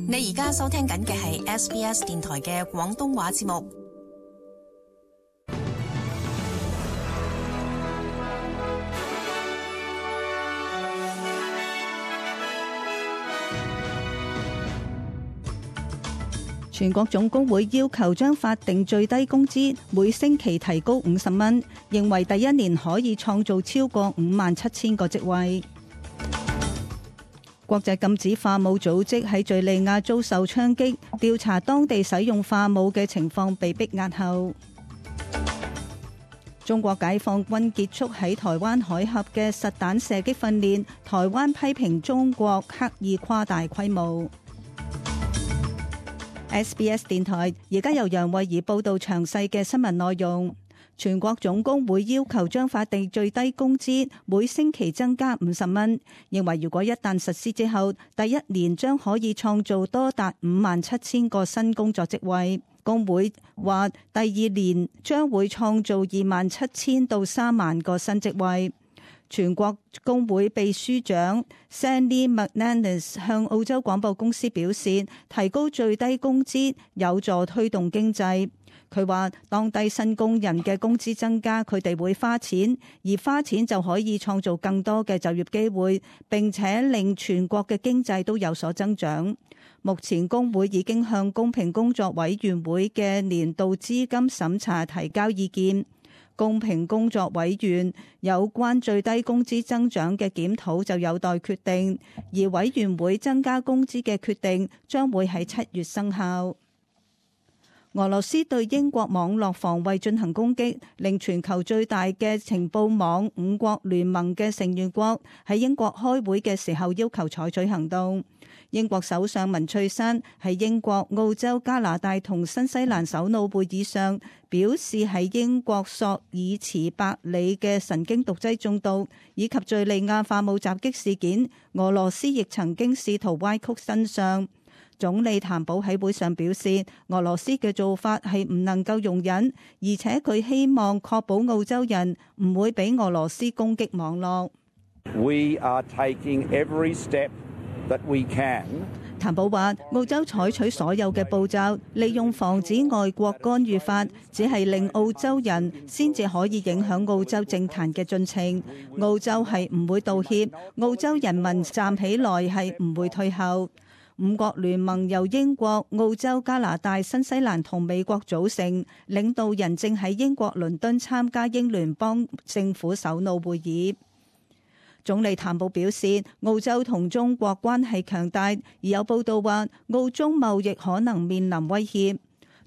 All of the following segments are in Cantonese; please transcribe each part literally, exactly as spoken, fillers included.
你而家收聽緊嘅係 S B S 電台嘅廣東話節目。全國總工會要求將法定最低工資每星期提高五十蚊，認為第一年可以創造超過五萬七千個職位。國際禁止化武組織喺敘利亞遭受槍擊，調查當地使用化武嘅情況被逼押後。中國解放軍結束喺台灣海峽嘅實彈射擊訓練，台灣批評中國刻意誇大規模。S B S 電台而家由楊慧儀報道詳細嘅新聞內容。全國總工會要求將法定最低工資每星期增加五十蚊，認為如果一旦實施之後，第一年將可以創造多達五萬七千個新工作職位。工會話第二年將會創造二萬七千到三萬個新職位。全國工會秘書長 Sandy McManus 向澳洲廣播公司表示，提高最低工資有助推動經濟。佢話當低薪工人嘅工資增加，佢哋會花錢，而花錢就可以創造更多嘅就業機會，並且令全國嘅經濟都有所增長。目前工會已經向公平工作委員會嘅年度資金審查提交意見。公平工作委員有關最低工資增長嘅檢討就有待決定，而委員會增加工資嘅決定將會喺七月生效。俄羅斯對英國網絡防衛進行攻擊，令全球最大嘅情報網五國聯盟嘅成員國喺英國開會嘅時候要求採取行動。英國首相文翠珊喺英國、澳洲、加拿大同新西蘭首腦會議上表示，喺英國索爾茨伯里嘅神經毒劑中毒以及敘利亞化武襲擊事件，俄羅斯亦曾經試圖歪曲真相。總理譚寶喺會上表示，俄羅斯嘅做法係唔能夠容忍，而且佢希望確保澳洲人唔會俾俄羅斯攻擊網絡。We are taking every step that we can. 譚寶話，澳洲採取所有嘅步驟，利用防止外國干預法，只係令澳洲人先至可以影響澳洲政壇嘅進程。澳洲係唔會道歉，澳洲人民站起來係唔會退後。五國聯盟由英國、澳洲、加拿大、新西蘭同美國組成，領導人正喺英國倫敦參加英聯邦政府首腦會議。總理譚寶表示，澳洲同中國關係強大，而有報道話澳中貿易可能面臨威脅。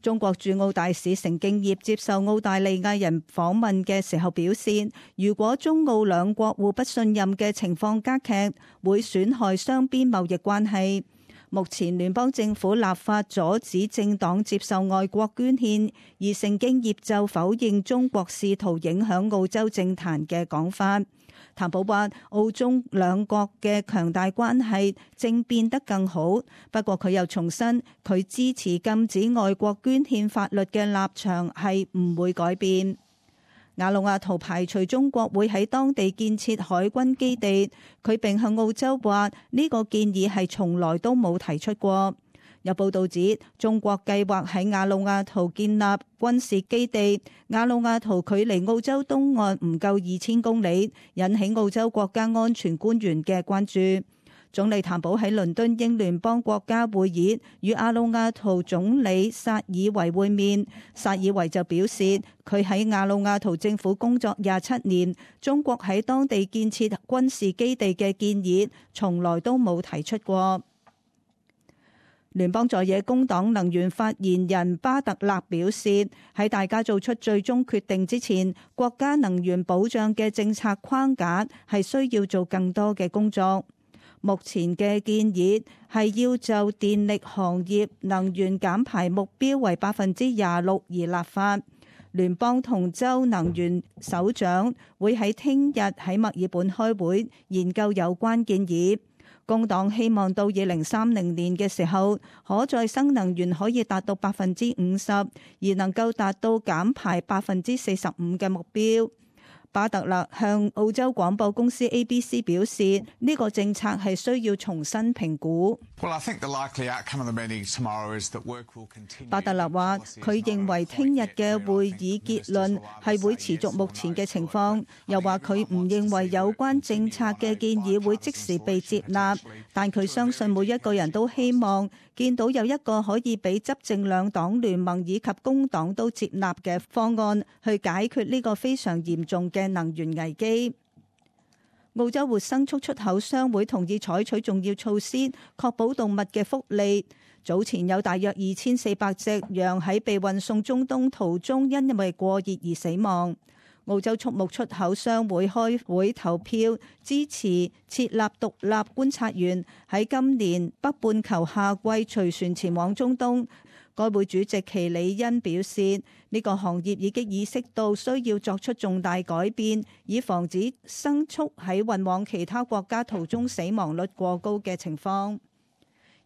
中國駐澳大使成敬業接受澳大利亞人訪問嘅時候表示，如果中澳兩國互不信任嘅情況加劇，會損害雙邊貿易關係。目前聯邦政府立法阻止政黨接受外國捐獻，而成敬業就否認中國試圖影響澳洲政壇嘅講法。譚寶話，澳中兩國嘅強大關係正變得更好，不過佢又重申佢支持禁止外國捐獻法律嘅立場係唔會改變。瓦努阿圖排除中國會喺當地建設海軍基地，佢並向澳洲話呢個建議係從來都冇提出過。有報道指中國計劃喺瓦努阿圖建立軍事基地，瓦努阿圖距離澳洲東岸唔夠二千公里，引起澳洲國家安全官員嘅關注。總理譚寶喺倫敦英聯邦國家會議與瓦努阿圖總理薩爾維會面，薩爾維就表示佢喺瓦努阿圖政府工作廿七年，中國喺當地建設軍事基地嘅建議從來都冇提出過。聯邦在野工黨能源發言人巴特勒表示，喺大家做出最終決定之前，國家能源保障嘅政策框架係需要做更多嘅工作。目前嘅建議係要就電力行業能源減排目標為百分之廿六而立法。聯邦同州能源首長會喺聽日喺墨爾本開會研究有關建議。工黨希望到二零三零年嘅時候，可再生能源可以達到百分之五十，而能夠達到減排百分之四十五嘅目標。巴特勒向澳洲廣播公司 A B C 表示，呢個政策係需要重新評估。巴特勒話：佢認為聽日嘅會議結論係會持續目前嘅情況，又話佢唔認為有關政策嘅建議會即時被接納，但佢相信每一個人都希望見到有一個可以俾執政兩黨聯盟以及工黨都接納嘅方案，去解決呢個非常嚴重嘅能源危機。澳洲活牲畜出口商會同意採取重要措施，確保動物嘅福利。早前有大約二千四百隻羊喺被運送中東途中，因為過熱而死亡。澳洲畜牧出口商會開會投票支持設立獨立觀察員喺今年北半球夏季隨船前往中東。該會主席奇里恩表示，呢個行業已經意識到需要作出重大改變，以防止牲畜喺運往其他國家途中死亡率過高嘅情況。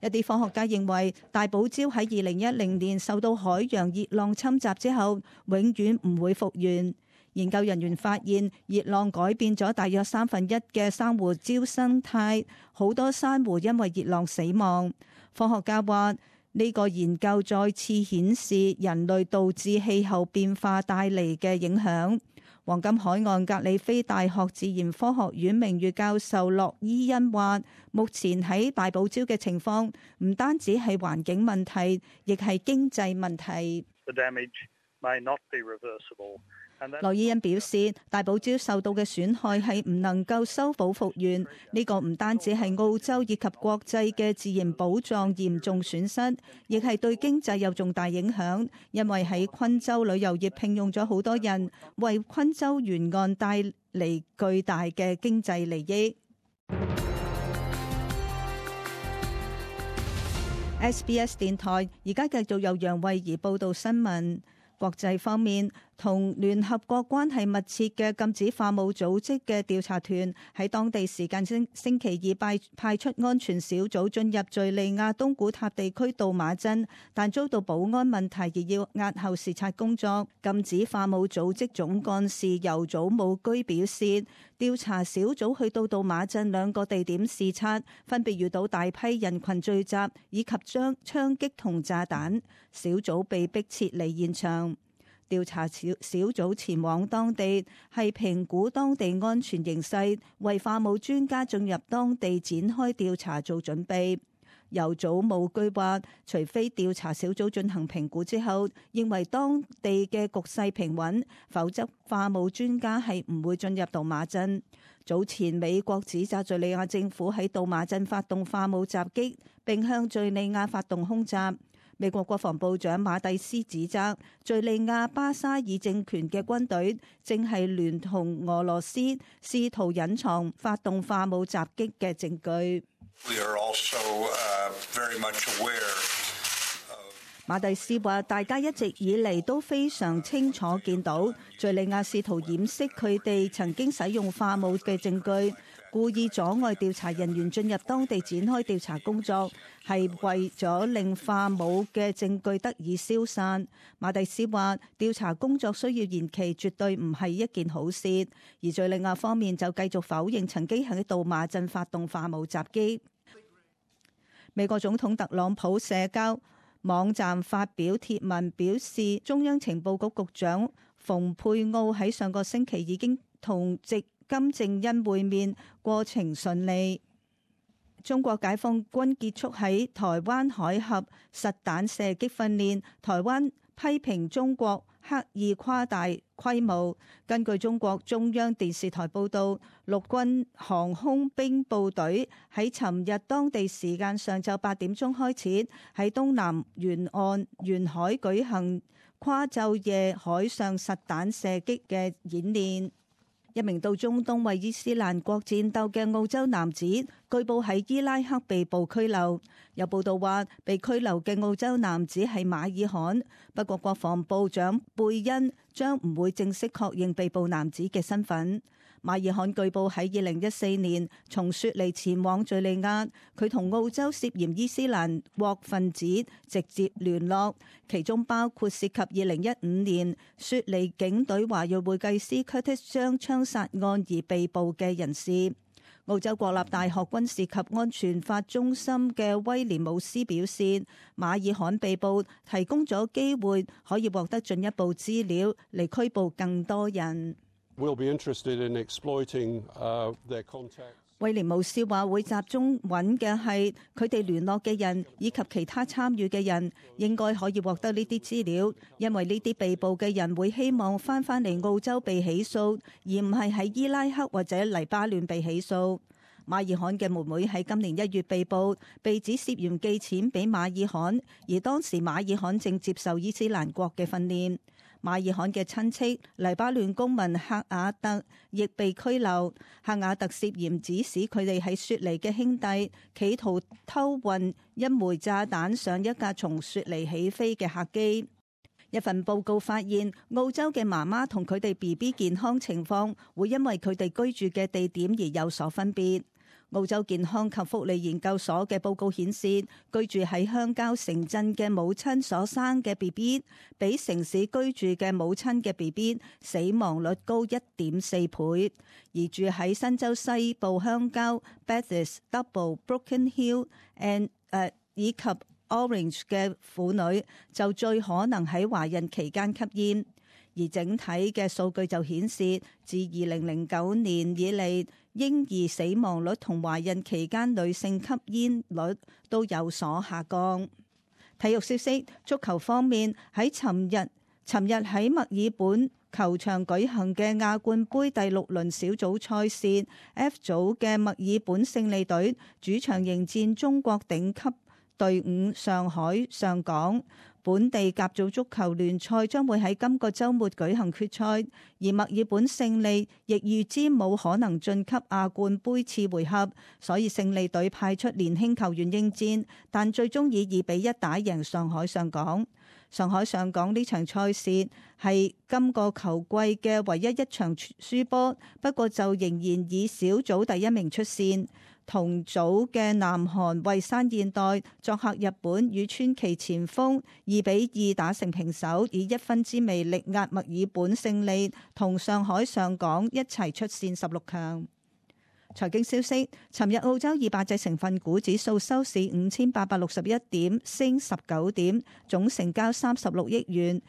一啲科學家認為，大堡礁喺二零一零年受到海洋熱浪侵襲之後，永遠唔會復原。研究人員發現，熱浪改變咗大約三分一嘅珊瑚礁生態，好多珊瑚因為熱浪死亡。科學家話，呢個研究再次顯示人類導致氣候變化帶嚟嘅影響。黃金海岸格里菲大學自然科學院名譽教授洛伊恩話，目前喺大堡礁嘅情況唔單止係環境問題，亦係經濟問題。羅伊恩表示，大堡礁受到嘅損害係唔能夠修補復原，呢個唔單止係澳洲以及國際嘅自然寶藏嚴重損失，亦係對經濟有重大影響，因為喺昆州旅遊業聘用咗好多人，為昆州沿岸帶嚟巨大嘅經濟利益。S B S 電台而家繼續由楊慧儀報道新聞。國際方面，同聯合國關係密切嘅禁止化武組織嘅調查團喺當地時間星星期二派派出安全小組進入敘利亞東古塔地區杜馬鎮，但遭到保安問題而要押後視察工作。禁止化武組織總幹事尤祖武居表示，調查小組去到杜馬鎮兩個地點視察，分別遇到大批人群聚集以及將槍擊同炸彈，小組被迫撤離現場。調查小小組前往當地係評估當地安全形勢，為化武專家進入當地展開調查做準備。尤祖武居話，除非調查小組進行評估之後認為當地嘅局勢平穩，否則化武專家係唔會進入杜馬鎮。早前美國指責敘利亞政府喺杜馬鎮發動化武襲擊，並向敘利亞發動空襲。美國國防部長馬蒂斯指責敘利亞巴沙爾政權嘅軍隊正係聯同俄羅斯試圖隱藏發動化武襲擊嘅證據。We are also, uh, very much aware of... 馬蒂斯話：大家一直以嚟都非常清楚見到敘利亞試圖掩飾佢哋曾經使用化武嘅證據，故意阻礙調查人員進入當地展開調查工作，係為咗令化武嘅證據得以消散。馬蒂斯話：調查工作需要延期，絕對唔係一件好事。而敘利亞方面就繼續否認曾經喺杜馬鎮發動化武襲擊。美國總統特朗普社交網站發表貼文表示，中央情報局局長蓬佩奧喺上個星期已經同直金正恩會面，過程順利。中國解放軍結束喺台灣海峽實彈射擊訓練，台灣批評中國刻意誇大規模。根據中國中央電視台報道，陸軍航空兵部隊喺尋日當地時間上晝八點鐘開始喺東南沿岸沿海舉行跨晝夜海上實彈射擊嘅演練。一名到中東為伊斯蘭國戰鬥嘅澳洲男子，據報喺伊拉克被捕拘留。有報道話，被拘留嘅澳洲男子係馬爾罕，不過國防部長貝恩將唔會正式確認被捕男子嘅身份。馬爾罕據報喺二零一四年從雪梨前往敘利亞，佢同澳洲涉嫌伊斯蘭國分子直接聯絡，其中包括涉及二零一五年雪梨警隊華裔會計師 Curtis 將槍殺案而被捕嘅人士。澳洲國立大學軍事及安全法中心嘅威廉姆斯表示，馬爾罕被捕提供咗機會可以獲得進一步資料嚟拘捕更多人。We'll be interested in exploiting, uh, their contacts. 威廉姆斯話會集中揾嘅係佢哋聯絡嘅人以及其他參與嘅人，應該可以獲得呢啲資料，因為呢啲被捕嘅人會希望翻返嚟澳洲被起訴，而唔係喺伊拉克或者黎巴嫩被起訴。馬爾罕嘅妹妹喺今年一月被捕，被指涉嫌寄錢俾馬爾罕，而當時馬爾罕正接受伊斯蘭國嘅訓練。馬爾罕嘅親戚黎巴嫩公民赫瓦特亦被拘留，赫瓦特涉嫌指使佢哋喺雪梨嘅兄弟企圖偷運一枚炸彈上一架從雪梨起飛嘅客機。一份報告發現，澳洲嘅媽媽同佢哋 B B 健康情況會因為佢哋居住嘅地點而有所分別。澳洲健康及福利研究所嘅報告顯示，居住喺鄉郊城鎮嘅母親所生嘅 B B 比城市居住嘅母親嘅 B B 死亡率高 一點四倍，而住喺新州西部鄉郊 Bathurst、Double、Broken Hill and、uh, 以及 Orange 嘅婦女就最可能喺懷孕期間吸煙。而整體嘅數據就顯示，自二零零九年以嚟，嬰兒死亡率同懷孕期間女性吸煙率都有所下降。體育消息，足球方面，喺尋日尋日喺墨爾本球場舉行嘅亞冠杯第六輪小組賽事 F 組嘅墨爾本勝利隊主場迎戰中國頂級隊伍上海上港。本地甲組足球聯賽將會喺今個週末舉行決賽，而墨爾本勝利亦預知冇可能晉級亞冠杯次回合，所以勝利隊派出年輕球員應戰，但最終以二比一打贏上海上港。上海上港呢場賽事係今個球季嘅唯一一場輸波，不過就仍然以小組第一名出線。同組嘅南韓蔚山現代作客日本，與川崎前鋒二比二打成平手，以一分之微力壓墨爾本勝利，同上海上港一齊出線十六強。財經消息，尋日澳洲二百隻成分股指數收市五千八百六十一點，升十九點，總成交三十六億元。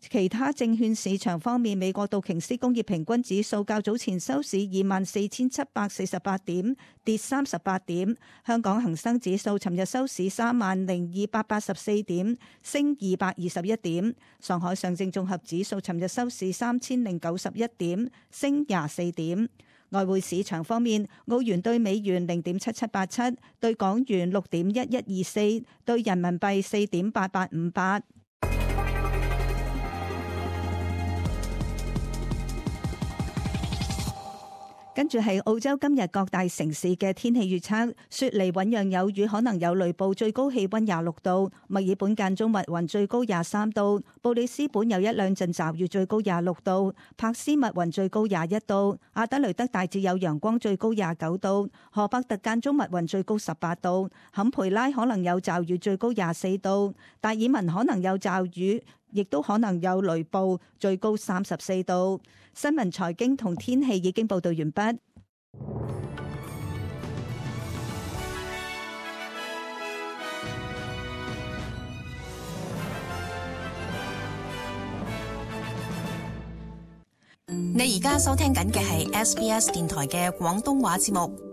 其他證券市場方面，美國道瓊斯工業平均指數較早前收市二萬四千七百四十八點，跌三十八點。香港恒生指數尋日收市三萬零二百八十四點，升二百二十一點。上海上證綜合指數尋日收市三千零九十一點，升廿四點。外匯市場方面，澳元對美元零點七七八七，對港元六點一一二四，對人民幣四點八八五八。跟住係澳洲今日各大城市嘅天氣預測：雪梨醞釀有雨，可能有雷暴，最高氣溫廿六度；墨爾本間中密雲，最高廿三度；布里斯本有一兩陣驟雨，最高廿六度；柏斯密雲，最高廿一度；阿德雷德大致有陽光，最高廿九度；荷伯特間中密雲，最高十八度；坎培拉可能有驟雨，最高廿四度；達爾文可能有驟雨，亦都可能有雷暴，最高三十四度。新聞、財經同天氣已經報道完畢。你而家收聽緊嘅係 S B S 電台嘅廣東話節目。